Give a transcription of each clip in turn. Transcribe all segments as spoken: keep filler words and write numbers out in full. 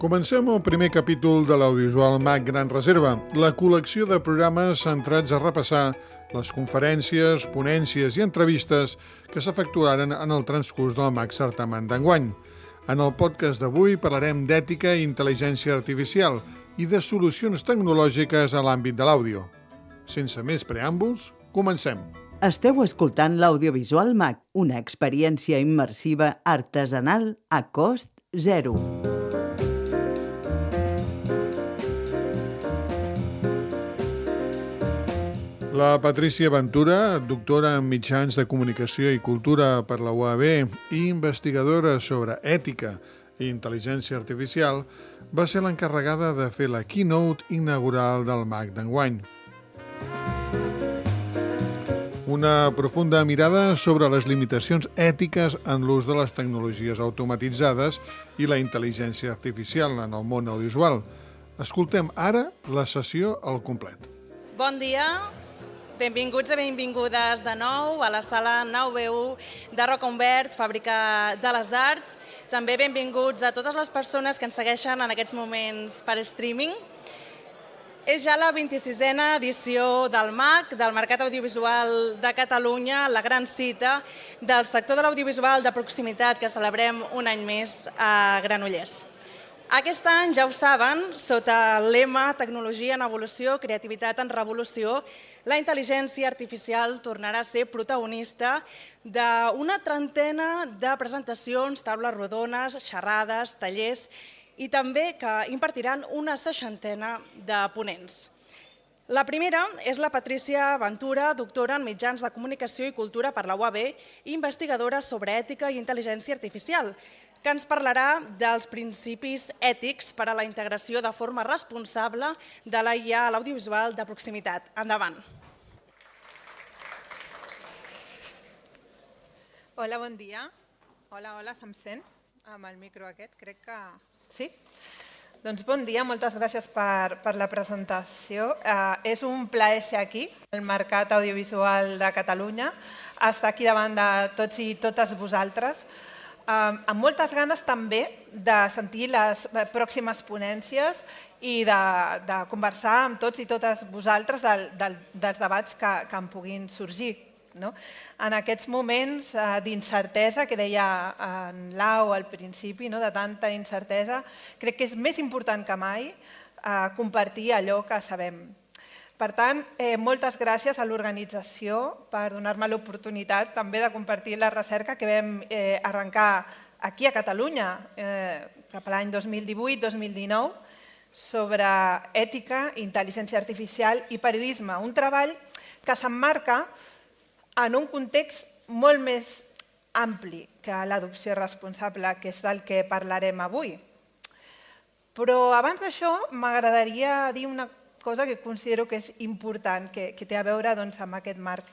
Comencem el primer capítol de l'audiovisual Mac Gran Reserva, la col·lecció de programes centrats a repassar les conferències, ponències i entrevistes que s'efectuaren en el transcurs del Mac Certamen d'enguany. En el podcast d'avui parlarem d'ètica i intel·ligència artificial i de solucions tecnològiques a l'àmbit de l'àudio. Sense més preàmbuls, comencem. Esteu escoltant l'Audiovisual Mac, una experiència immersiva artesanal a cost zero. La Patrícia Ventura, doctora en mitjans de comunicació i cultura per la U A B i investigadora sobre ètica i intel·ligència artificial, va ser l'encarregada de fer la keynote inaugural del Mac d'enguany. Una profunda mirada sobre les limitacions ètiques en l'ús de les tecnologies automatitzades i la intel·ligència artificial en el món audiovisual. Escoltem ara la sessió al complet. Bon dia, benvinguts i benvingudes de nou a la sala nou B u de Roca Humbert, Fàbrica de les Arts. També benvinguts a totes les persones que ens segueixen en aquests moments per streaming. És ja la vint-i-sisena edició del MAC, del Mercat Audiovisual de Catalunya, la gran cita del sector de l'audiovisual de proximitat que celebrem un any més a Granollers. Aquest any, ja ho saben, sota el lema Tecnologia en evolució, creativitat en revolució, la intel·ligència artificial tornarà a ser protagonista d'una trentena de presentacions, taules rodones, xerrades, tallers i també que impartiran una seixantena de ponents. La primera és la Patrícia Ventura, doctora en mitjans de comunicació i cultura per la U A B i investigadora sobre ètica i intel·ligència artificial, que ens parlarà dels principis ètics per a la integració de forma responsable de la I A a l'audiovisual de proximitat. Endavant. Hola, bon dia. Hola, hola, se'm sent amb el micro aquest? Crec que sí. Doncs bon dia, moltes gràcies per, per la presentació. Eh, és un plaer ser aquí, al Mercat Audiovisual de Catalunya, estar aquí davant de tots i totes vosaltres, amb moltes ganes també de sentir les pròximes ponències i de, de conversar amb tots i totes vosaltres del, del, dels debats que, que en puguin sorgir. No? En aquests moments eh, d'incertesa, que deia en Lau al principi, no? De tanta incertesa, crec que és més important que mai eh, compartir allò que sabem. Per tant, eh, moltes gràcies a l'organització per donar-me l'oportunitat també de compartir la recerca que vam eh, arrencar aquí a Catalunya eh, cap a l'any dos mil divuit dos mil dinou sobre ètica, intel·ligència artificial i periodisme. Un treball que s'emmarca en un context molt més ampli que l'adopció responsable, que és del que parlarem avui. Però abans d'això m'agradaria dir una cosa que considero que és important, que, que té a veure doncs, amb aquest marc.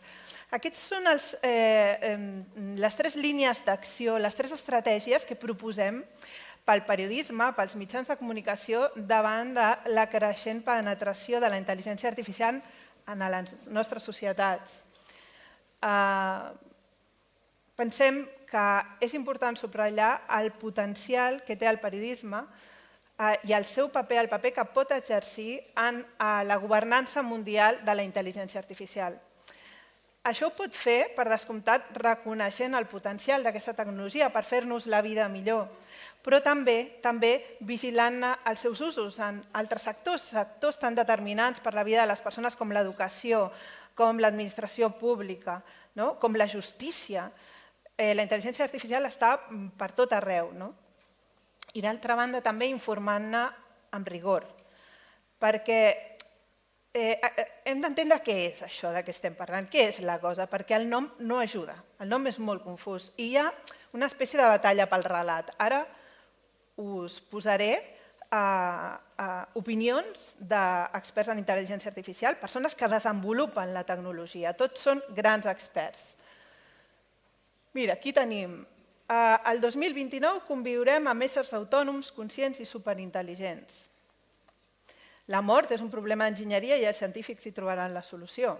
Aquests són els, eh, les tres línies d'acció, les tres estratègies que proposem pel periodisme, pels mitjans de comunicació, davant de la creixent penetració de la intel·ligència artificial en les nostres societats. Eh, pensem que és important subratllar el potencial que té el periodisme i el seu paper, el paper que pot exercir en la governança mundial de la intel·ligència artificial. Això ho pot fer, per descomptat, reconeixent el potencial d'aquesta tecnologia per fer-nos la vida millor, però també també vigilant els seus usos en altres sectors, sectors tan determinants per la vida de les persones com l'educació, com l'administració pública, no? Com la justícia. Eh, la intel·ligència artificial està per tot arreu, no? I d'altra banda també informant-ne amb rigor, perquè eh, hem d'entendre què és això de què estem parlant, què és la cosa, perquè el nom no ajuda, el nom és molt confús i hi ha una espècie de batalla pel relat. Ara us posaré eh, eh, opinions d'experts en intel·ligència artificial, persones que desenvolupen la tecnologia, tots són grans experts. Mira, aquí tenim... El dos mil vint-i-nou conviurem amb éssers autònoms, conscients i superintel·ligents. La mort és un problema d'enginyeria i els científics hi trobaran la solució.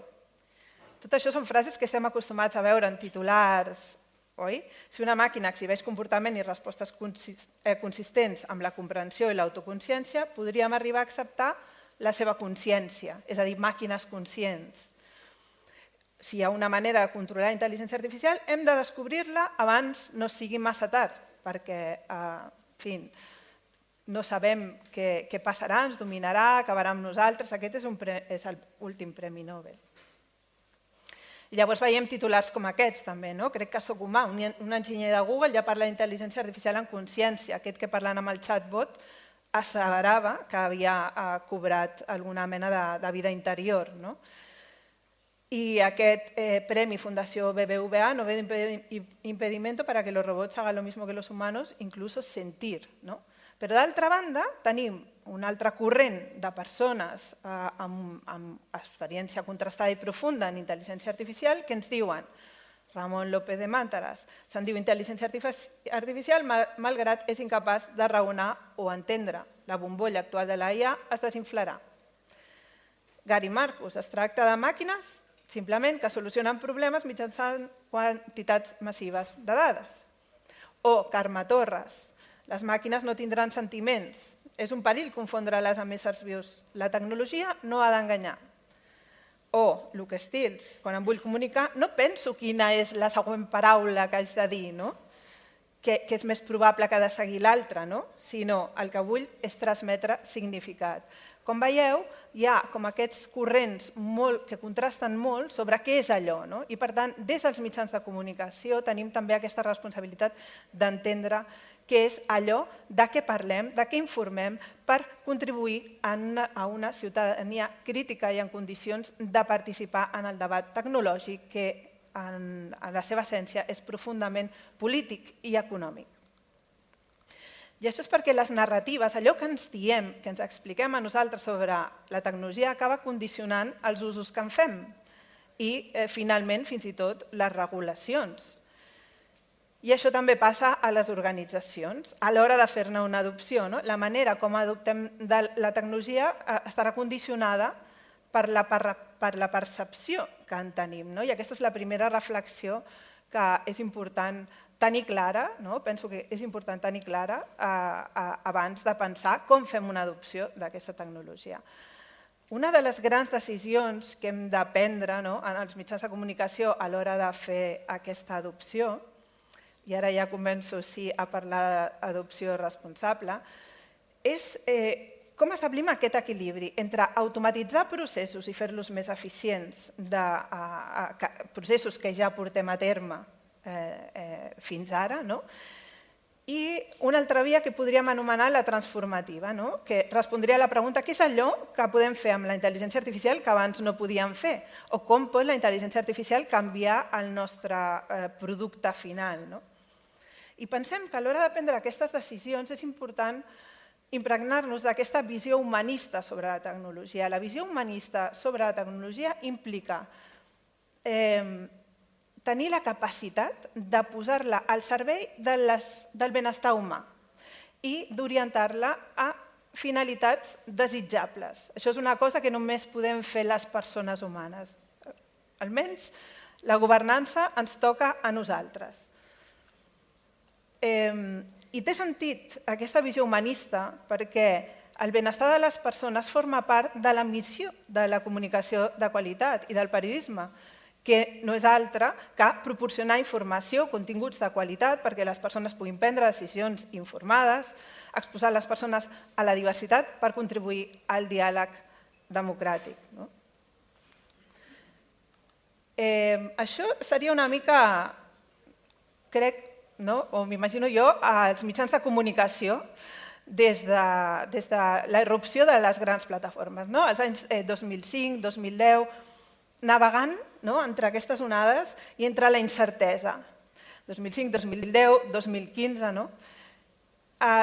Tot això són frases que estem acostumats a veure en titulars oi? Si una màquina exhibeix comportament i respostes consistents amb la comprensió i l'autoconsciència, podríem arribar a acceptar la seva consciència, és a dir, màquines conscients. Si hi ha una manera de controlar la intel·ligència artificial, hem de descobrir-la abans no sigui massa tard, perquè, en fi, no sabem què passarà, ens dominarà, acabarà amb nosaltres. Aquest és l'últim Premi Nobel. Llavors veiem titulars com aquests també, no? Crec que sóc humà. Un enginyer de Google ja parla d'intel·ligència artificial en consciència. Aquest que parlant amb el chatbot asseverava que havia cobrat alguna mena de vida interior, no? Y aquest eh, premi Fundació B B V A no ve impedimento para que los robots hagan lo mismo que los humanos, incluso sentir, no? Però d'altra banda tenim un altre corrent de persones eh, amb, amb experiència contrastada i profunda en intel·ligència artificial que ens diuen, Ramon López de Màntaras, se'n diu intel·ligència artificial malgrat és incapaç de raonar o entendre. La bombolla actual de la I A es desinflarà. Gary Marcus, es tracta de màquines simplement que solucionen problemes mitjançant quantitats massives de dades. O Carme Torres, les màquines no tindran sentiments. És un perill confondre-les amb éssers vius. La tecnologia no ha d'enganyar. O Luke Stills, quan em vull comunicar, no penso quina és la següent paraula que haig de dir, no? Que és més probable que ha de seguir l'altra, no? Sinó el que vull és transmetre significat. Com veieu, hi ha com aquests corrents que contrasten molt sobre què és allò. I per tant, des dels mitjans de comunicació tenim també aquesta responsabilitat d'entendre què és allò, de què parlem, de què informem per contribuir a una ciutadania crítica i en condicions de participar en el debat tecnològic que en la seva essència és profundament polític i econòmic. I això és perquè les narratives, allò que ens diem, que ens expliquem a nosaltres sobre la tecnologia, acaba condicionant els usos que en fem i, finalment, fins i tot, les regulacions. I això també passa a les organitzacions, a l'hora de fer-ne una adopció. La manera com adoptem la tecnologia estarà condicionada per la percepció que en tenim. I aquesta és la primera reflexió que és important tenir clara, penso que és important tenir clara abans de pensar com fem una adopció d'aquesta tecnologia. Una de les grans decisions que hem de prendre en els mitjans de comunicació a l'hora de fer aquesta adopció, i ara ja començo a parlar d'adopció responsable, és com establim aquest equilibri entre automatitzar processos i fer-los més eficients, processos que ja portem a terme fins ara, i una altra via que podríem anomenar la transformativa, que respondria a la pregunta què és allò que podem fer amb la intel·ligència artificial que abans no podíem fer, o com pot la intel·ligència artificial canviar el nostre producte final. I pensem que a l'hora de prendre aquestes decisions és important impregnar-nos d'aquesta visió humanista sobre la tecnologia. La visió humanista sobre la tecnologia implica tenir la capacitat de posar-la al servei del benestar humà i d'orientar-la a finalitats desitjables. Això és una cosa que només podem fer les persones humanes. Almenys la governança ens toca a nosaltres. I té sentit aquesta visió humanista perquè el benestar de les persones forma part de la missió de la comunicació de qualitat i del periodisme, que no és altra que proporcionar informació, continguts de qualitat perquè les persones puguin prendre decisions informades, exposar les persones a la diversitat per contribuir al diàleg democràtic. Això seria una mica, crec, o m'imagino jo, als mitjans de comunicació des de la irrupció de les grans plataformes. Als anys dos mil cinc, dos mil deu, navegant entre aquestes onades i entre la incertesa. dos mil cinc, dos mil deu, dos mil quinze,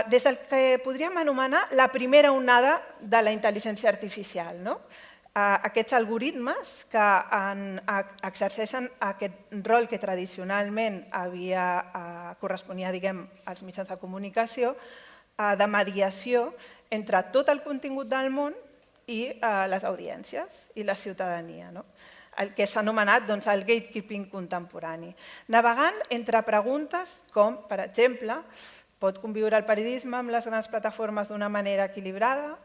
des del que podríem anomenar la primera onada de la intel·ligència artificial. Aquests algoritmes que exerceixen aquest rol que tradicionalment corresponia als mitjans de comunicació de mediació entre tot el contingut del món i les audiències i la ciutadania, el que s'ha anomenat el gatekeeping contemporani. Navegant entre preguntes com, per exemple, pot conviure el periodisme amb les grans plataformes d'una manera equilibrada?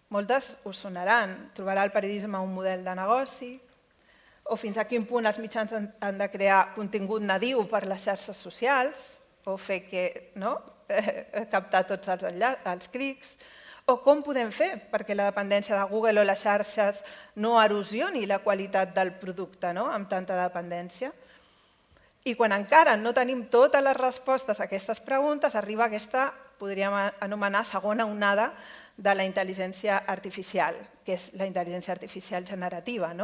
Moltes us sonaran. Trobarà el periodisme un model de negoci? O fins a quin punt els mitjans han de crear contingut nadiu per les xarxes socials o fer que captar tots els clics? O com podem fer perquè la dependència de Google o les xarxes no erosioni la qualitat del producte amb tanta dependència? I quan encara no tenim totes les respostes a aquestes preguntes, arriba aquesta, podríem anomenar, segona onada de la intel·ligència artificial, que és la intel·ligència artificial generativa,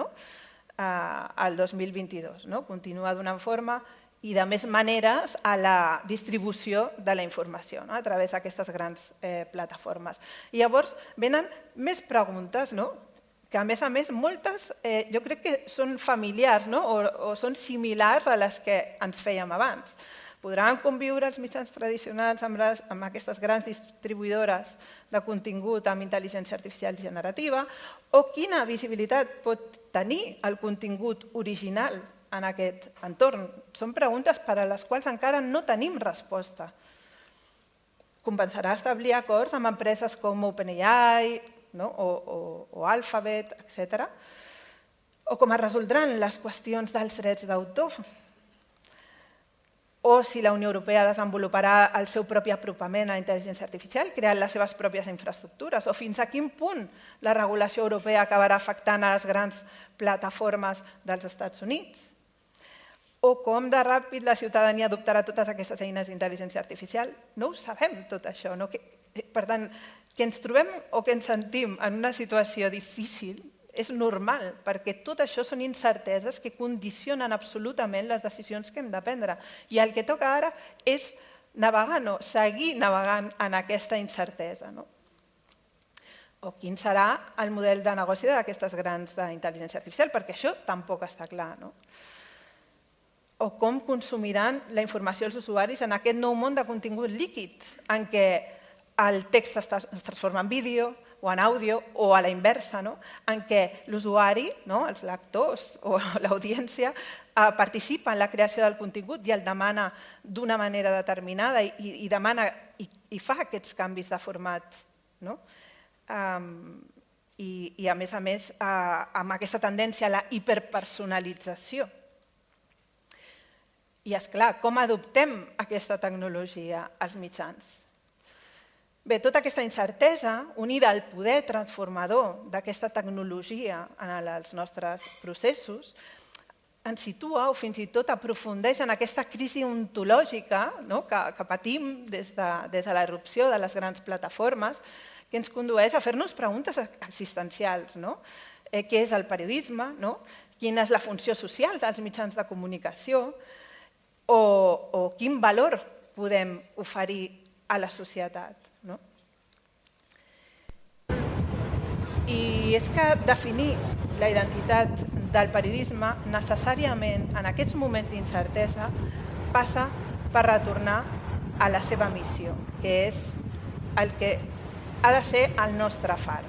al dos mil vint-i-dos. Continua donant forma i de més maneres a la distribució de la informació a través d'aquestes grans plataformes. I llavors venen més preguntes, que a més a més moltes jo crec que són familiars o són similars a les que ens fèiem abans. Podran conviure els mitjans tradicionals amb aquestes grans distribuïdores de contingut amb intel·ligència artificial generativa? O quina visibilitat pot tenir el contingut original en aquest entorn? Són preguntes per a les quals encara no tenim resposta. Compensarà establir acords amb empreses com OpenAI o Alphabet, etcètera? O com es resoldran les qüestions dels drets d'autor? O si la Unió Europea desenvoluparà el seu propi apropament a la intel·ligència artificial, creant les seves pròpies infraestructures, o fins a quin punt la regulació europea acabarà afectant a les grans plataformes dels Estats Units, o com de ràpid la ciutadania adoptarà totes aquestes eines d'intel·ligència artificial. No ho sabem, tot això. Per tant, que ens trobem o que ens sentim en una situació difícil és normal, perquè tot això són incerteses que condicionen absolutament les decisions que hem de prendre. I el que toca ara és navegar, no, seguir navegant en aquesta incertesa. O quin serà el model de negoci d'aquestes grans d'intel·ligència artificial, perquè això tampoc està clar. O com consumiran la informació els usuaris en aquest nou món de contingut líquid, en què el text es transforma en vídeo, o en àudio, o a la inversa, en què l'usuari, els lectors o l'audiència participa en la creació del contingut i el demana d'una manera determinada i demana i fa aquests canvis de format. I, a més a més, amb aquesta tendència a la hiperpersonalització. I, esclar, com adoptem aquesta tecnologia als mitjans? Bé, tota aquesta incertesa, unida al poder transformador d'aquesta tecnologia en els nostres processos, ens situa o fins i tot aprofundeix en aquesta crisi ontològica que patim des de la irrupció de les grans plataformes, que ens condueix a fer-nos preguntes existencials. Què és el periodisme? Quina és la funció social dels mitjans de comunicació? O quin valor podem oferir a la societat? I és que definir la identitat del periodisme necessàriament en aquests moments d'incertesa passa per retornar a la seva missió, que és el que ha de ser el nostre far.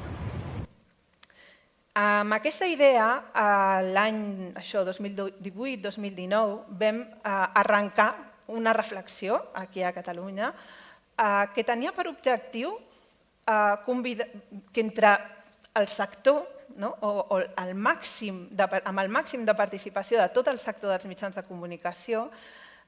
Amb aquesta idea, l'any dos mil divuit dos mil dinou, vam arrencar una reflexió aquí a Catalunya que tenia per objectiu que entre el sector, amb el màxim de participació de tot el sector dels mitjans de comunicació,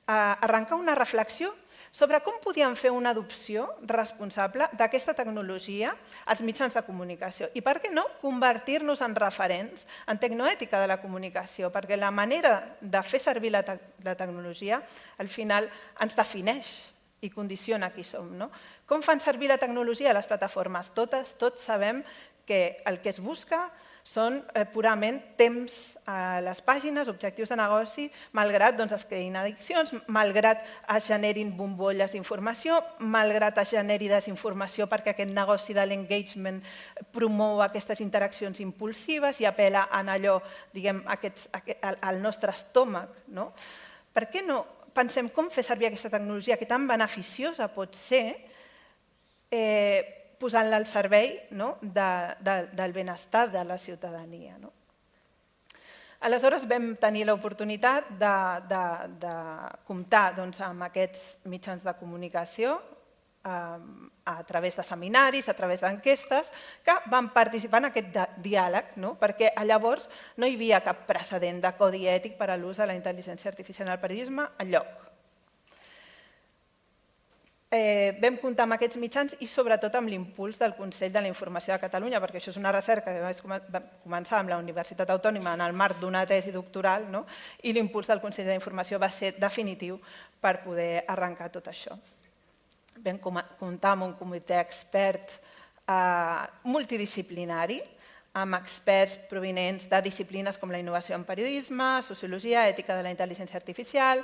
arrencar una reflexió sobre com podíem fer una adopció responsable d'aquesta tecnologia als mitjans de comunicació i, per què no, convertir-nos en referents en tecnoètica de la comunicació, perquè la manera de fer servir la tecnologia al final ens defineix i condiciona qui som. Com fan servir la tecnologia les plataformes? Totes, tots sabem que el que es busca són purament temps a les pàgines, objectius de negoci, malgrat es creïn addiccions, malgrat es generin bombolles d'informació, malgrat es generi desinformació perquè aquest negoci de l'engagement promou aquestes interaccions impulsives i apel·la en allò, diguem, al nostre estómac. Per què no pensem com fer servir aquesta tecnologia que tan beneficiosa pot ser posant-la al servei del benestar de la ciutadania. Aleshores vam tenir l'oportunitat de comptar amb aquests mitjans de comunicació a través de seminaris, a través d'enquestes, que van participar en aquest diàleg, perquè llavors no hi havia cap precedent de codi ètic per a l'ús de la intel·ligència artificial en el periodisme enlloc. Vam comptar amb aquests mitjans i sobretot amb l'impuls del Consell de la Informació de Catalunya, perquè això és una recerca que va començar amb la Universitat Autònoma en el marc d'una tesi doctoral, i l'impuls del Consell de la Informació va ser definitiu per poder arrencar tot això. Vam comptar amb un comitè expert multidisciplinari, amb experts provinents de disciplines com la innovació en periodisme, sociologia, ètica de la intel·ligència artificial,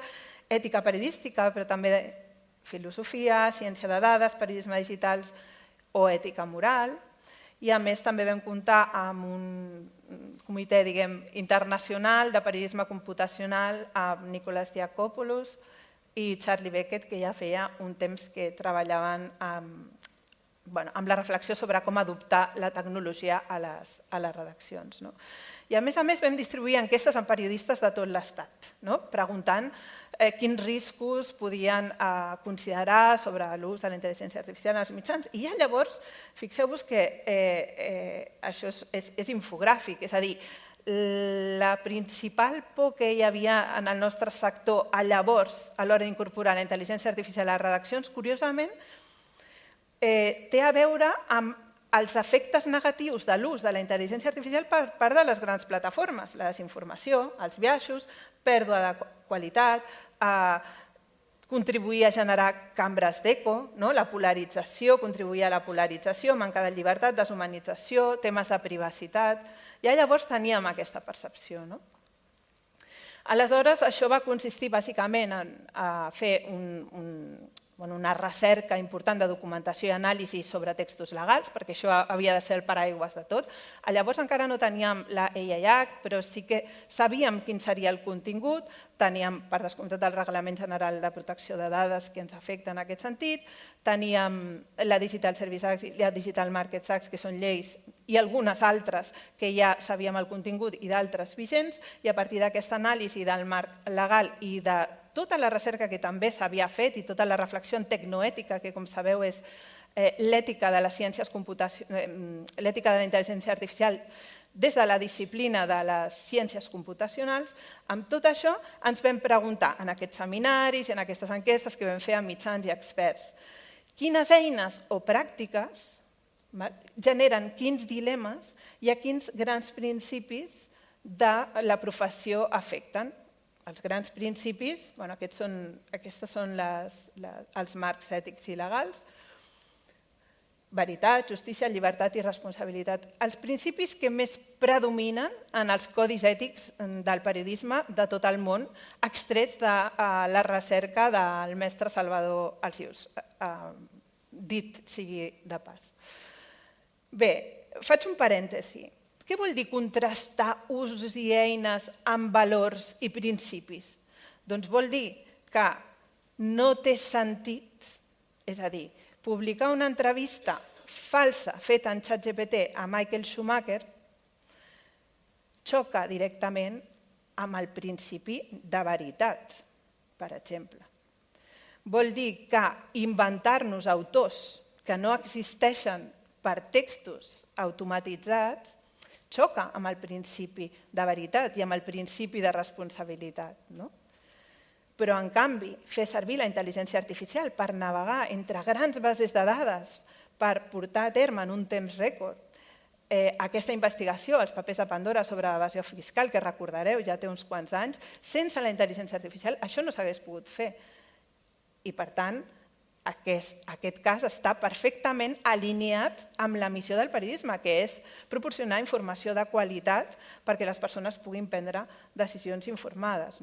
ètica periodística, però també filosofia, ciència de dades, periodisme digital o ètica moral. I a més també vam comptar amb un comitè internacional de periodisme computacional amb Nicolas Diakopoulos i Charlie Beckett, que ja feia un temps que treballaven amb la reflexió sobre com adoptar la tecnologia a les redaccions. I a més a més vam distribuir enquestes amb periodistes de tot l'Estat, preguntant quins riscos podien considerar sobre l'ús de la intel·ligència artificial en els mitjans. I ja llavors, fixeu-vos que això és infogràfic, és a dir, la principal por que hi havia en el nostre sector llavors a l'hora d'incorporar la intel·ligència artificial a les redaccions, curiosament, té a veure amb els efectes negatius de l'ús de la intel·ligència artificial per part de les grans plataformes, la desinformació, els biaixos, pèrdua de qualitat, contribuir a generar cambres d'eco, la polarització, contribuir a la polarització, manca de llibertat, deshumanització, temes de privacitat. Ja llavors teníem aquesta percepció. Aleshores, això va consistir bàsicament en fer una recerca important de documentació i anàlisi sobre textos legals, perquè això havia de ser el paraigües de tot. Llavors encara no teníem la A I Act, però sí que sabíem quin seria el contingut, teníem, per descomptat, el Reglament General de Protecció de Dades que ens afecta en aquest sentit, teníem la Digital Services Act i la Digital Markets Act, que són lleis, i algunes altres que ja sabíem el contingut i d'altres vigents, i a partir d'aquesta anàlisi del marc legal i de tota la recerca que també s'havia fet i tota la reflexió tecnoètica, que com sabeu és l'ètica de les ciències l'ètica de la intel·ligència artificial des de la disciplina de les ciències computacionals, amb tot això ens vam preguntar en aquests seminaris i en aquestes enquestes que vam fer amb mitjans i experts quines eines o pràctiques generen quins dilemes i a quins grans principis de la professió afecten. Els grans principis, aquests són els marcs ètics i legals, veritat, justícia, llibertat i responsabilitat. Els principis que més predominen en els codis ètics del periodisme de tot el món, extrets de la recerca del mestre Salvador Alsius, dit sigui de pas. Bé, faig un parèntesi. Què vol dir contrastar usos i eines amb valors i principis? Doncs vol dir que no té sentit, és a dir, publicar una entrevista falsa feta en ChatGPT a Michael Schumacher xoca directament amb el principi de veritat, per exemple. Vol dir que inventar-nos autors que no existeixen per textos automatitzats xoca amb el principi de veritat i amb el principi de responsabilitat. Però, en canvi, fer servir la intel·ligència artificial per navegar entre grans bases de dades, per portar a terme en un temps rècord aquesta investigació, els papers de Pandora sobre evasió fiscal, que recordareu, ja té uns quants anys, sense la intel·ligència artificial això no s'hagués pogut fer. I, per tant, aquest cas està perfectament alineat amb la missió del periodisme, que és proporcionar informació de qualitat perquè les persones puguin prendre decisions informades.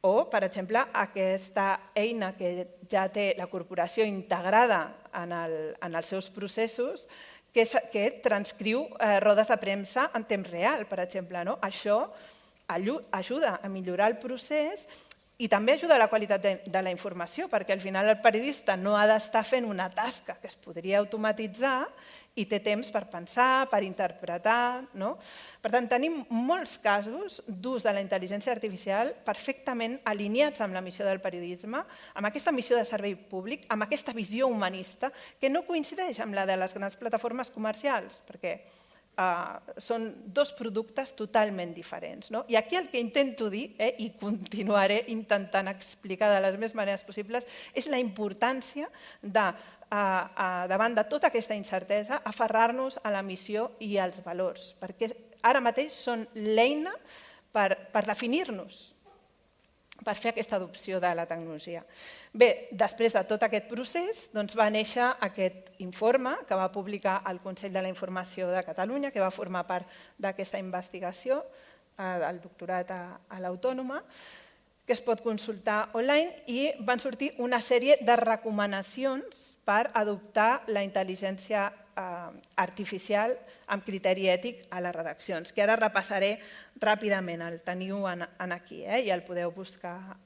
O, per exemple, aquesta eina que ja té la corporació integrada en els seus processos, que transcriu rodes de premsa en temps real, per exemple. Això ajuda a millorar el procés I també ajuda a la qualitat de, de la informació, perquè al final el periodista no ha d'estar fent una tasca que es podria automatitzar i té temps per pensar, per interpretar. No? Per tant, tenim molts casos d'ús de la intel·ligència artificial perfectament alineats amb la missió del periodisme, amb aquesta missió de servei públic, amb aquesta visió humanista, que no coincideix amb la de les grans plataformes comercials, perquè Uh, són dos productes totalment diferents. No? I aquí el que intento dir, eh, i continuaré intentant explicar de les més maneres possibles, és la importància de, uh, uh, davant de tota aquesta incertesa, aferrar-nos a la missió i als valors, perquè ara mateix són l'eina per, per definir-nos, per fer aquesta adopció de la tecnologia. Bé, després de tot aquest procés doncs va néixer aquest informe que va publicar el Consell de la Informació de Catalunya, que va formar part d'aquesta investigació eh, del doctorat a, a l'Autònoma, que es pot consultar online, i van sortir una sèrie de recomanacions per adoptar la intel·ligència artificial amb criteri ètic a les redaccions, que ara repassaré ràpidament, el teniu aquí i el podeu buscar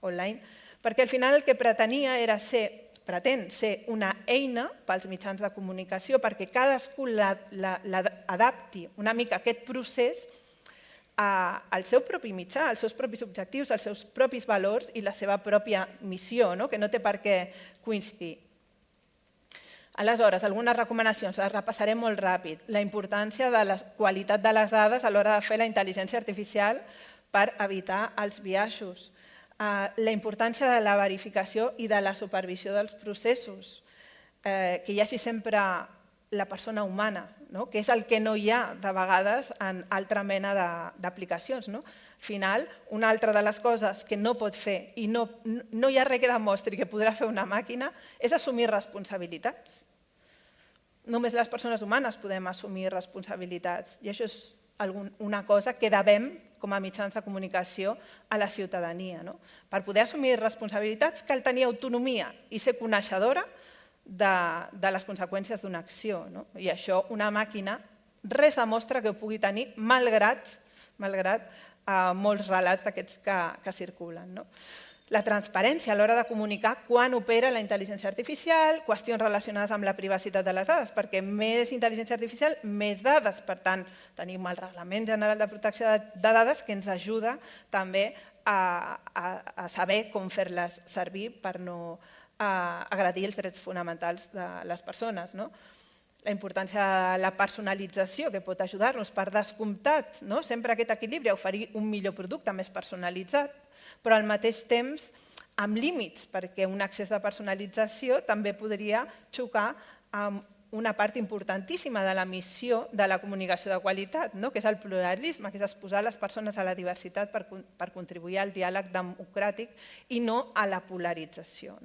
online, perquè al final el que pretenia era ser, pretén ser una eina pels mitjans de comunicació perquè cadascú l'adapti una mica aquest procés al seu propi mitjà, als seus propis objectius, als seus propis valors i la seva pròpia missió, que no té per què coincidir. Aleshores, algunes recomanacions, les repassaré molt ràpid. La importància de la qualitat de les dades a l'hora de fer la intel·ligència artificial per evitar els biaixos. La importància de la verificació i de la supervisió dels processos, que hi hagi sempre la persona humana, que és el que no hi ha de vegades en altra mena d'aplicacions. Al final, una altra de les coses que no pot fer i no hi ha res que demostri que podrà fer una màquina és assumir responsabilitats. Només les persones humanes podem assumir responsabilitats i això és una cosa que devem com a mitjans de comunicació a la ciutadania. Per poder assumir responsabilitats cal tenir autonomia i ser coneixedora de les conseqüències d'una acció. I això una màquina res demostra que ho pugui tenir malgrat molts relats d'aquests que circulen. La transparència a l'hora de comunicar quan opera la intel·ligència artificial, qüestions relacionades amb la privacitat de les dades, perquè més intel·ligència artificial, més dades. Per tant, tenim el Reglament General de Protecció de Dades que ens ajuda també a saber com fer-les servir per no agredir els drets fonamentals de les persones. La importància de la personalització que pot ajudar-nos, per descomptat, sempre aquest equilibri, a oferir un millor producte més personalitzat, però al mateix temps amb límits, perquè un accés de personalització també podria xocar amb una part importantíssima de la missió de la comunicació de qualitat, que és el pluralisme, que és exposar les persones a la diversitat per contribuir al diàleg democràtic i no a la polarització.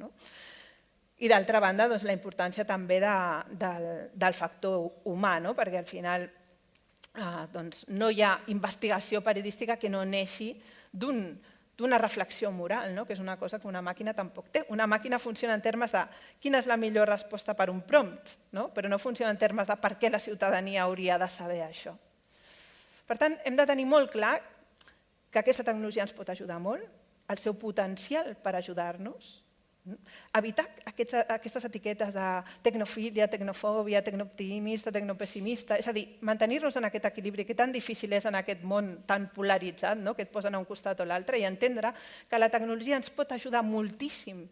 I d'altra banda, la importància també del factor humà, perquè al final no hi ha investigació periodística que no neixi d'una reflexió moral, que és una cosa que una màquina tampoc té. Una màquina funciona en termes de quina és la millor resposta per un prompt, però no funciona en termes de per què la ciutadania hauria de saber això. Per tant, hem de tenir molt clar que aquesta tecnologia ens pot ajudar molt, el seu potencial per ajudar-nos, evitar aquestes etiquetes de tecnofília, tecnofòbia, tecnooptimista, tecnopessimista, és a dir, mantenir-nos en aquest equilibri que tan difícil és en aquest món tan polaritzat, que et posen a un costat o l'altre, i entendre que la tecnologia ens pot ajudar moltíssim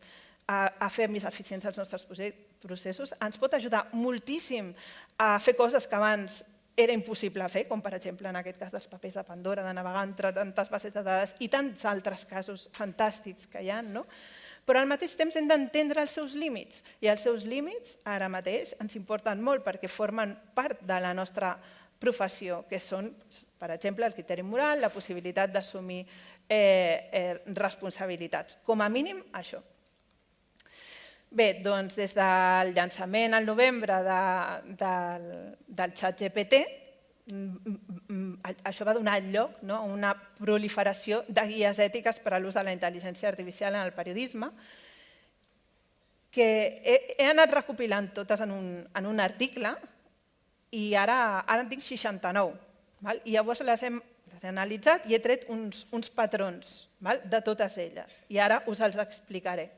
a fer més eficients els nostres processos, ens pot ajudar moltíssim a fer coses que abans era impossible fer, com per exemple en aquest cas dels papers de Pandora, de navegar entre tantes bases de dades i tants altres casos fantàstics que hi ha, no? Però al mateix temps hem d'entendre els seus límits, i els seus límits ara mateix ens importen molt perquè formen part de la nostra professió, que són, per exemple, el criteri moral, la possibilitat d'assumir responsabilitats. Com a mínim, això. Bé, doncs des del llançament al novembre del ChatGPT, això va donar lloc a una proliferació de guies ètiques per a l'ús de la intel·ligència artificial en el periodisme, que he anat recopilant totes en un article i ara en tinc seixanta-nou. I llavors les hem he analitzat i he tret uns, uns patrons, val? De totes elles. I ara us els explicaré.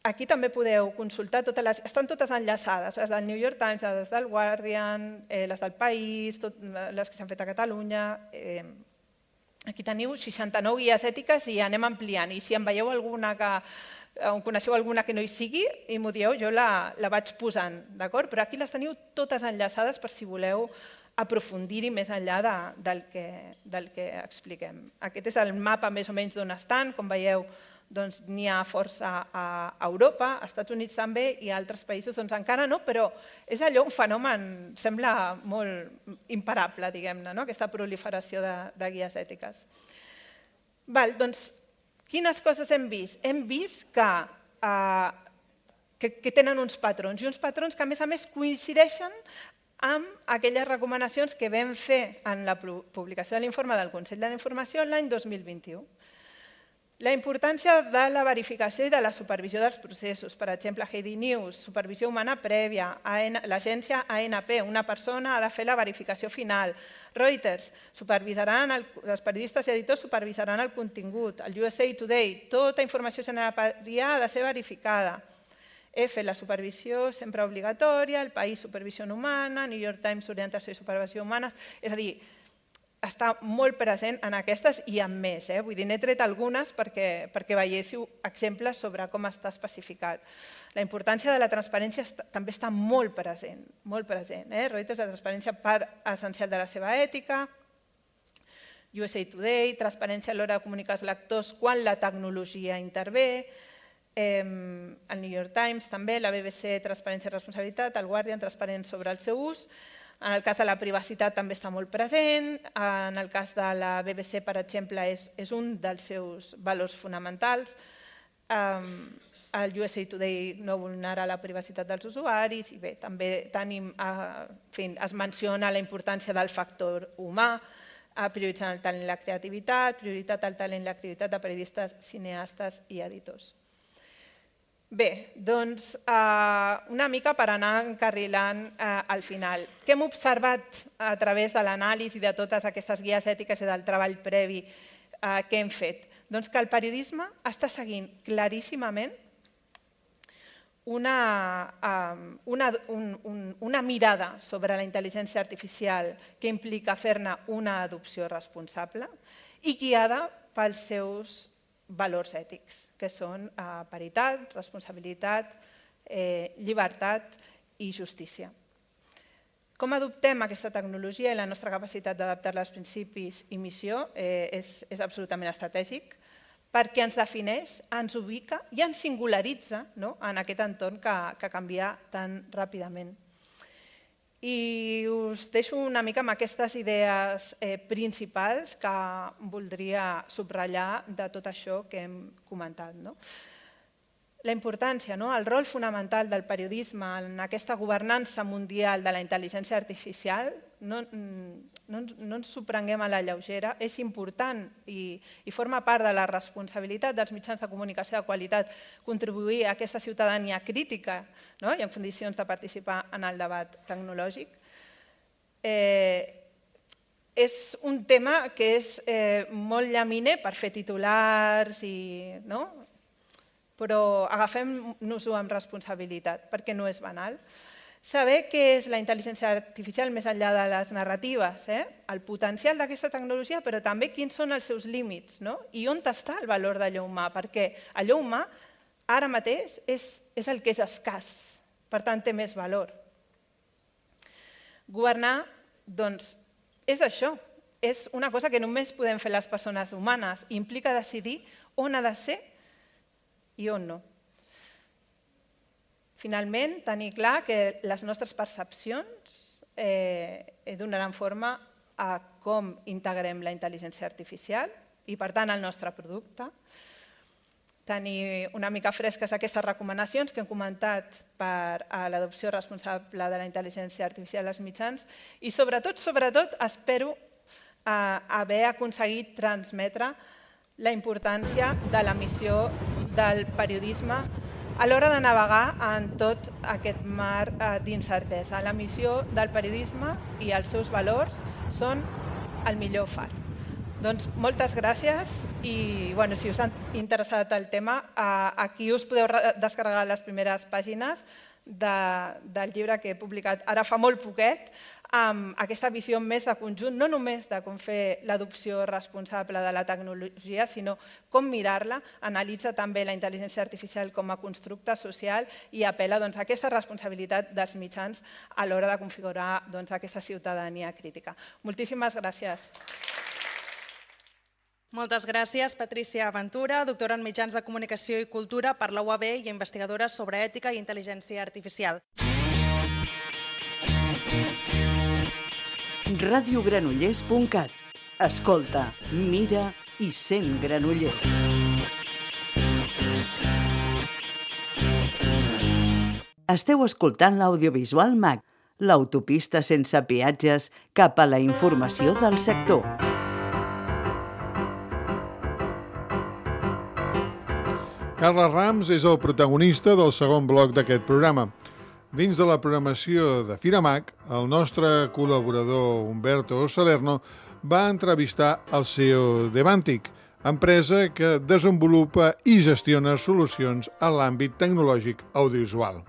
Aquí també podeu consultar, totes les, estan totes enllaçades, les del New York Times, les del Guardian, eh, les del País, tot, les que s'han fet a Catalunya. Eh, aquí teniu seixanta-nou guies ètiques i anem ampliant. I si en veieu alguna que, on coneixeu alguna que no hi sigui i m'ho dieu, jo la, la vaig posant, d'acord? Però aquí les teniu totes enllaçades per si voleu aprofundir-hi més enllà de, del, que, del que expliquem. Aquest és el mapa més o menys d'on estan, com veieu, doncs n'hi ha força a Europa, als Estats Units també i a altres països doncs encara no, però és allò un fenomen, sembla molt imparable, diguem-ne, no? Aquesta proliferació de, de guies ètiques. Val, doncs, quines coses hem vist? Hem vist que, eh, que, que tenen uns patrons, i uns patrons que a més a més coincideixen amb aquelles recomanacions que vam fer en la publicació de l'informe del Consell de la Informació l'any dos mil vint-i-u. La importància de la verificació i de la supervisió dels processos. Per exemple, Heidi News, supervisió humana prèvia, l'agència A N P, una persona ha de fer la verificació final. Reuters, supervisaran el, els periodistes i editors supervisaran el contingut. El U S A Today, tota informació generada ha de ser verificada. F, la supervisió sempre obligatòria, El País, supervisió humana, New York Times, orientació i supervisió humanes. És a dir, està molt present en aquestes i en més. Eh? Vull dir, n'he tret algunes perquè, perquè veiéssiu exemples sobre com està especificat. La importància de la transparència està, també està molt present. Molt present. Eh? Reuters, la transparència part essencial de la seva ètica. U S A Today, transparència a l'hora de comunicar als lectors quan la tecnologia intervé. Eh, el New York Times també, la B B C, transparència i responsabilitat. El Guardian, transparent sobre el seu ús. En el cas de la privacitat també està molt present, en el cas de la B B C, per exemple, és, és un dels seus valors fonamentals. Um, el U S A Today no vulnera la privacitat dels usuaris i bé, també tenim, uh, en fi, es menciona la importància del factor humà, uh, prioritzant el talent i la creativitat, prioritat al talent i la creativitat de periodistes, cineastes i editors. Bé, doncs una mica per anar encarrilant al final. Què hem observat a través de l'anàlisi de totes aquestes guies ètiques i del treball previ que hem fet? Doncs que el periodisme està seguint claríssimament una, una, un, un, una mirada sobre la intel·ligència artificial que implica fer-ne una adopció responsable i guiada pels seus valors ètics, que són paritat, responsabilitat, llibertat i justícia. Com adoptem aquesta tecnologia i la nostra capacitat d'adaptar-la als principis i missió és, és absolutament estratègic perquè ens defineix, ens ubica i ens singularitza, no?, en aquest entorn que, que canvia tan ràpidament. I us deixo una mica amb aquestes idees eh, principals que voldria subratllar de tot això que hem comentat. No? La importància, no? El rol fonamental del periodisme en aquesta governança mundial de la intel·ligència artificial, no, no, no ens ho prenguem a la lleugera, és important i, i forma part de la responsabilitat dels mitjans de comunicació de qualitat contribuir a aquesta ciutadania crítica, no? I en condicions de participar en el debat tecnològic. Eh, és un tema que és eh, molt llaminer per fer titulars, i, no? Però agafem-nos-ho amb responsabilitat, perquè no és banal. Saber què és la intel·ligència artificial més enllà de les narratives, eh? El potencial d'aquesta tecnologia, però també quins són els seus límits, no? I on està el valor d'allò humà, perquè allò humà ara mateix és, és el que és escàs, per tant té més valor. Governar, doncs, és això, és una cosa que només podem fer les persones humanes, implica decidir on ha de ser i on no. Finalment, tenir clar que les nostres percepcions eh, donaran forma a com integrem la intel·ligència artificial i, per tant, el nostre producte. Tenir una mica fresques aquestes recomanacions que hem comentat per a l'adopció responsable de la intel·ligència artificial als mitjans i, sobretot, sobretot, espero eh, haver aconseguit transmetre la importància de la missió del periodisme a l'hora de navegar en tot aquest mar d'incertesa. La missió del periodisme i els seus valors són el millor far. Doncs moltes gràcies i bueno, si us ha interessat el tema, aquí us podeu descarregar les primeres pàgines de, del llibre que he publicat ara fa molt poquet, amb aquesta visió més de conjunt, no només de com fer l'adopció responsable de la tecnologia, sinó com mirar-la, analitza també la intel·ligència artificial com a constructe social i apel·la doncs, a aquesta responsabilitat dels mitjans a l'hora de configurar doncs, aquesta ciutadania crítica. Moltíssimes gràcies. Moltes gràcies, Patrícia Ventura, doctora en Mitjans de Comunicació i Cultura per la U A B i investigadora sobre ètica i intel·ligència artificial. radio granollers punt cat. Escolta, mira i sent Granollers. Esteu escoltant l'audiovisual MAC, l'autopista sense peatges cap a la informació del sector. Carles Rams és el protagonista del segon bloc d'aquest programa. Dins de la programació de FiraMac, el nostre col·laborador Humberto Salerno va entrevistar el C E O d'Evantic, empresa que desenvolupa i gestiona solucions en l'àmbit tecnològic audiovisual.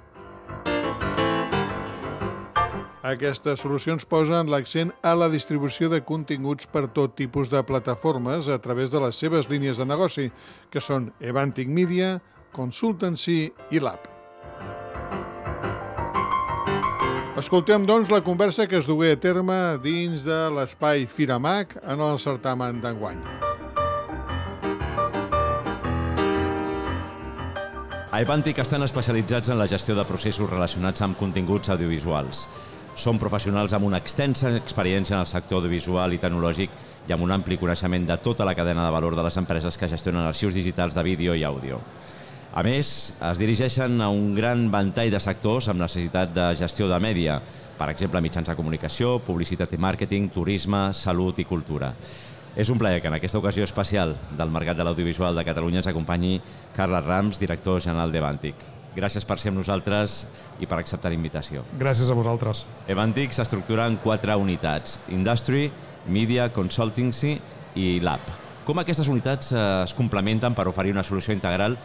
Aquestes solucions posen l'accent a la distribució de continguts per tot tipus de plataformes a través de les seves línies de negoci, que són Evantic Media, Consultancy i Lab. Escoltem, doncs, la conversa que es dugué a terme dins de l'espai FiraMac en el certamen d'enguany. A Evantic estan especialitzats en la gestió de processos relacionats amb continguts audiovisuals. Són professionals amb una extensa experiència en el sector audiovisual i tecnològic i amb un ampli coneixement de tota la cadena de valor de les empreses que gestionen arxius digitals de vídeo i àudio. A més, es dirigeixen a un gran ventall de sectors amb necessitat de gestió de mèdia, per exemple, mitjans de comunicació, publicitat i màrqueting, turisme, salut i cultura. És un plaer que en aquesta ocasió especial del mercat de l'audiovisual de Catalunya ens acompanyi Carles Rams, director general d'Evantic. Gràcies per ser amb nosaltres i per acceptar la invitació. Gràcies a vosaltres. Evantic s'estructura en quatre unitats: Industry, Media, Consultancy i Lab. Com aquestes unitats es complementen per oferir una solució integral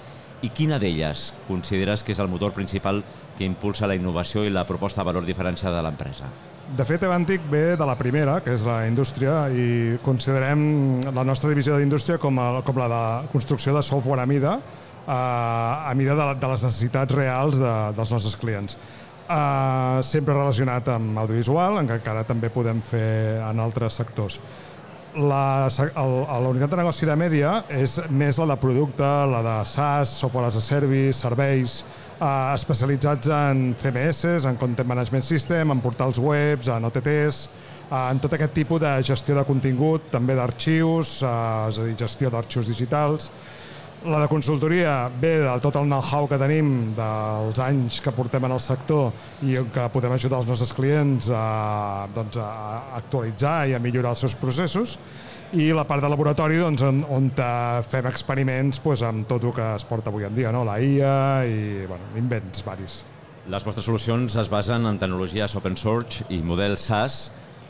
i quina d'elles consideres que és el motor principal que impulsa la innovació i la proposta de valor diferenciada de l'empresa? De fet, Evantic ve de la primera, que és la indústria, i considerem la nostra divisió d'indústria com, a, com la de construcció de software a mida, a, a mida de, de les necessitats reals de, dels nostres clients. Uh, sempre relacionat amb audiovisual, encara també podem fer en altres sectors. La, el, la unitat de negoci de mèdia és més la de producte, la de SaaS, software as a service, serveis, eh, especialitzats en C M S, en Content Management System, en portals webs, en O T Ts, eh, en tot aquest tipus de gestió de contingut, també d'arxius, eh, és a dir, gestió d'arxius digitals. La de consultoria ve de tot el know-how que tenim dels anys que portem en el sector i que podem ajudar els nostres clients a, doncs, a actualitzar i a millorar els seus processos. I la part de laboratori, doncs, on, on fem experiments doncs, amb tot el que es porta avui en dia, no? La I A i bueno, invents varis. Les vostres solucions es basen en tecnologies open source i models SaaS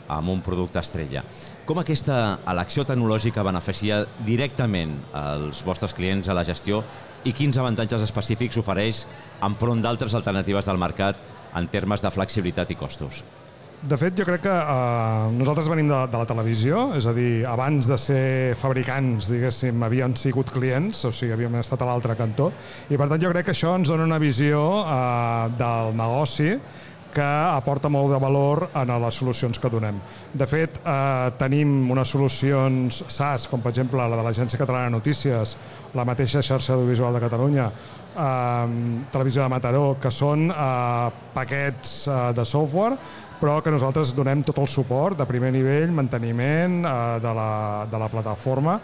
amb un producte estrella. Com aquesta elecció tecnològica beneficia directament als vostres clients a la gestió i quins avantatges específics ofereix enfront d'altres alternatives del mercat en termes de flexibilitat i costos? De fet, jo crec que eh, nosaltres venim de, de la televisió, és a dir, abans de ser fabricants, diguéssim, havíem sigut clients, o sigui, havíem estat a l'altre cantó, i per tant jo crec que això ens dona una visió eh, del negoci que aporta molt de valor en les solucions que donem. De fet, eh, tenim unes solucions SaaS, com per exemple la de l'Agència Catalana de Notícies, la mateixa xarxa audiovisual de Catalunya, eh, Televisió de Mataró, que són eh, paquets eh, de software, però que nosaltres donem tot el suport de primer nivell, manteniment eh, de, la, de la plataforma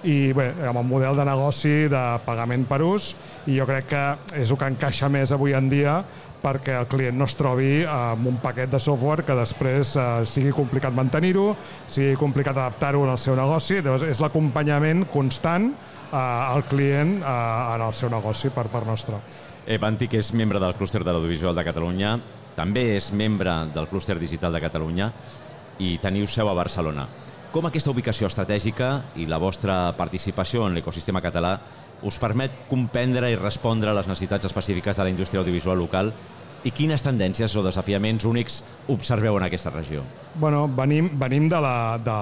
i bé, amb el model de negoci de pagament per ús, i jo crec que és el que encaixa més avui en dia perquè el client no es trobi amb un paquet de software que després eh, sigui complicat mantenir-ho, sigui complicat adaptar-ho al seu negoci. Llavors, és l'acompanyament constant eh, al client eh, en el seu negoci per part nostra. Evantic és membre del clúster de l'audiovisual de Catalunya, també és membre del clúster digital de Catalunya i teniu seu a Barcelona. com aquesta ubicació estratègica i la vostra participació en l'ecosistema català us permet comprendre i respondre a les necessitats específiques de la indústria audiovisual local i quines tendències o desafiaments únics observeu en aquesta regió? Bueno, venim, venim, de la, de,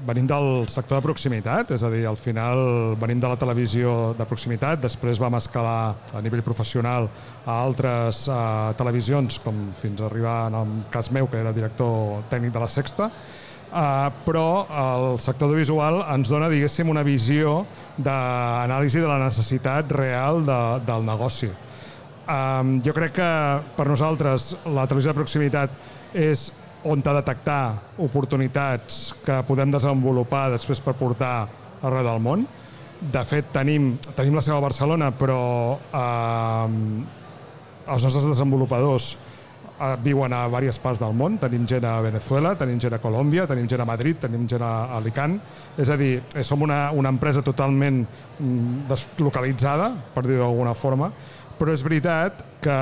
venim del sector de proximitat, és a dir, al final venim de la televisió de proximitat, després vam escalar a nivell professional a altres uh, televisions, com fins a arribar, en el cas meu, que era director tècnic de la Sexta, Uh, però el sector audiovisual ens dona, diguéssim, una visió d'anàlisi de la necessitat real de, del negoci. Um, jo crec que per nosaltres la televisió de proximitat és on ha de detectar oportunitats que podem desenvolupar després per portar arreu del món. De fet, tenim, tenim la seu a Barcelona, però um, els nostres desenvolupadors viuen a diverses parts del món. Tenim gent a Venezuela, tenim gent a Colòmbia, tenim gent a Madrid, tenim gent a Alicant. És a dir, som una, una empresa totalment deslocalitzada, per dir-ho d'alguna forma, però és veritat que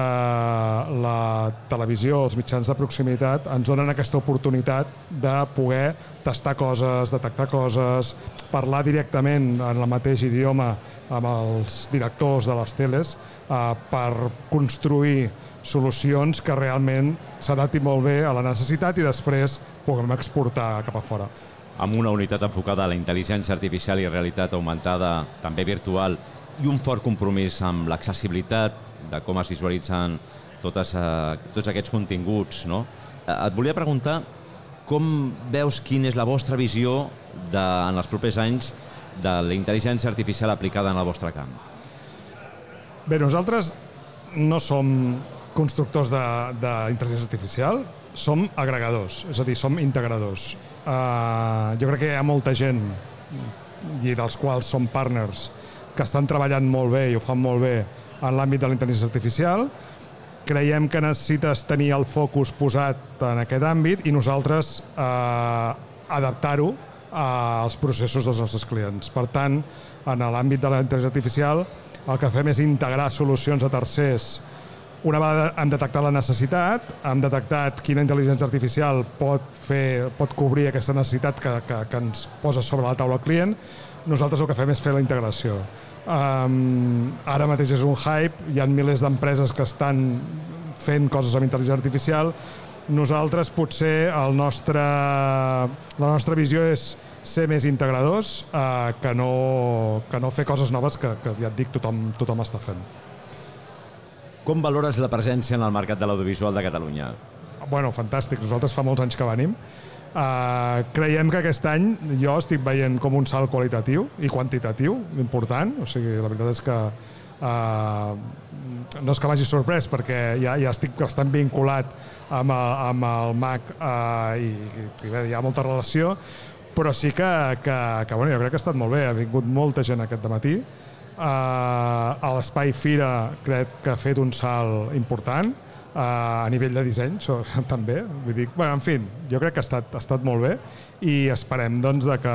la televisió, els mitjans de proximitat ens donen aquesta oportunitat de poder tastar coses, detectar coses, parlar directament en el mateix idioma amb els directors de les teles eh, per construir solucions que realment s'adaptin molt bé a la necessitat i després puguem exportar cap a fora. Amb una unitat enfocada a la intel·ligència artificial i realitat augmentada, també virtual, i un fort compromís amb l'accessibilitat de com es visualitzen totes, uh, tots aquests continguts, no? Et volia preguntar com veus quina és la vostra visió de, en els propers anys de la intel·ligència artificial aplicada en el vostre camp. Bé, nosaltres no som constructors d'intel·ligència artificial, som agregadors, és a dir, som integradors. Uh, jo crec que hi ha molta gent, i dels quals som partners, que estan treballant molt bé i ho fan molt bé en l'àmbit de la intel·ligència artificial. Creiem que necessites tenir el focus posat en aquest àmbit i nosaltres eh, adaptar-ho als processos dels nostres clients. Per tant, en l'àmbit de la intel·ligència artificial, el que fem és integrar solucions a tercers. Una vegada hem detectat la necessitat, hem detectat quina intel·ligència artificial pot, fer, pot cobrir aquesta necessitat que, que, que ens posa sobre la taula el client, nosaltres el que fem és fer la integració. Um, ara mateix és un hype, hi ha milers d'empreses que estan fent coses amb intel·ligència artificial. Nosaltres potser el nostre, la nostra visió és ser més integradors uh, que, no, que no fer coses noves que, que ja et dic, tothom, tothom està fent. Com valores la presència en el mercat de l'audiovisual de Catalunya? Bueno, fantàstic. Nosaltres fa molts anys que venim. Uh, creiem que aquest any jo estic veient com un salt qualitatiu i quantitatiu important. O sigui, la veritat és que uh, no és que m'hagi sorprès perquè ja, ja estic bastant vinculat amb el, amb el M A C uh, i, i bé, hi ha molta relació, però sí que, que, que bueno, jo crec que ha estat molt bé. Ha vingut molta gent aquest dematí. Uh, a l'Espai Fira crec que ha fet un salt important uh, a nivell de disseny so, també, vull dir, bueno, en fi, jo crec que ha estat, ha estat molt bé i esperem doncs, de que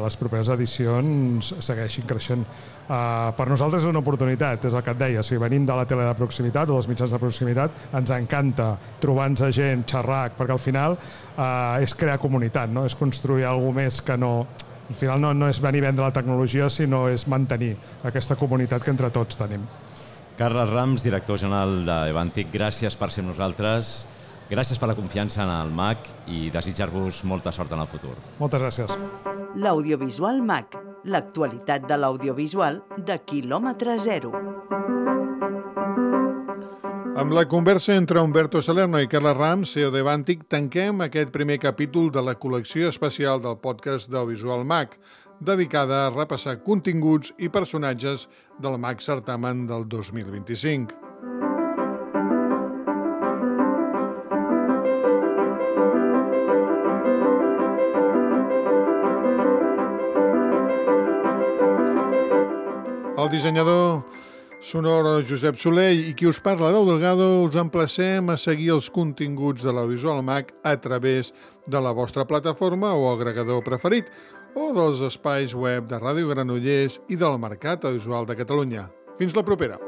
les properes edicions segueixin creixent. Uh, per nosaltres és una oportunitat, és el que et deia, o sigui, venim de la tele de proximitat o dels mitjans de proximitat, ens encanta trobar-nos a gent, xerrar, perquè al final uh, és crear comunitat, no? És construir alguna més que no... Al final no, no és venir a vendre la tecnologia, sinó és mantenir aquesta comunitat que entre tots tenim. Carles Rams, director general d'Evantic, gràcies per ser amb nosaltres, gràcies per la confiança en el M A C i desitjar-vos molta sort en el futur. Moltes gràcies. L'Audiovisual M A C, l'actualitat de l'audiovisual de quilòmetre zero. Amb la conversa entre Humberto Salerno i Carles Rams, C E O d'Evantic, tanquem aquest primer capítol de la col·lecció especial del podcast d'Audiovisual M A C, dedicada a repassar continguts i personatges del M A C Certamen del dos mil vint-i-cinc. El dissenyador sonor Josep Soler i qui us parla, Lau Delgado, us emplacem a seguir els continguts de l'Audiovisual M A C a través de la vostra plataforma o agregador preferit o dels espais web de Ràdio Granollers i del Mercat Audiovisual de Catalunya. Fins la propera!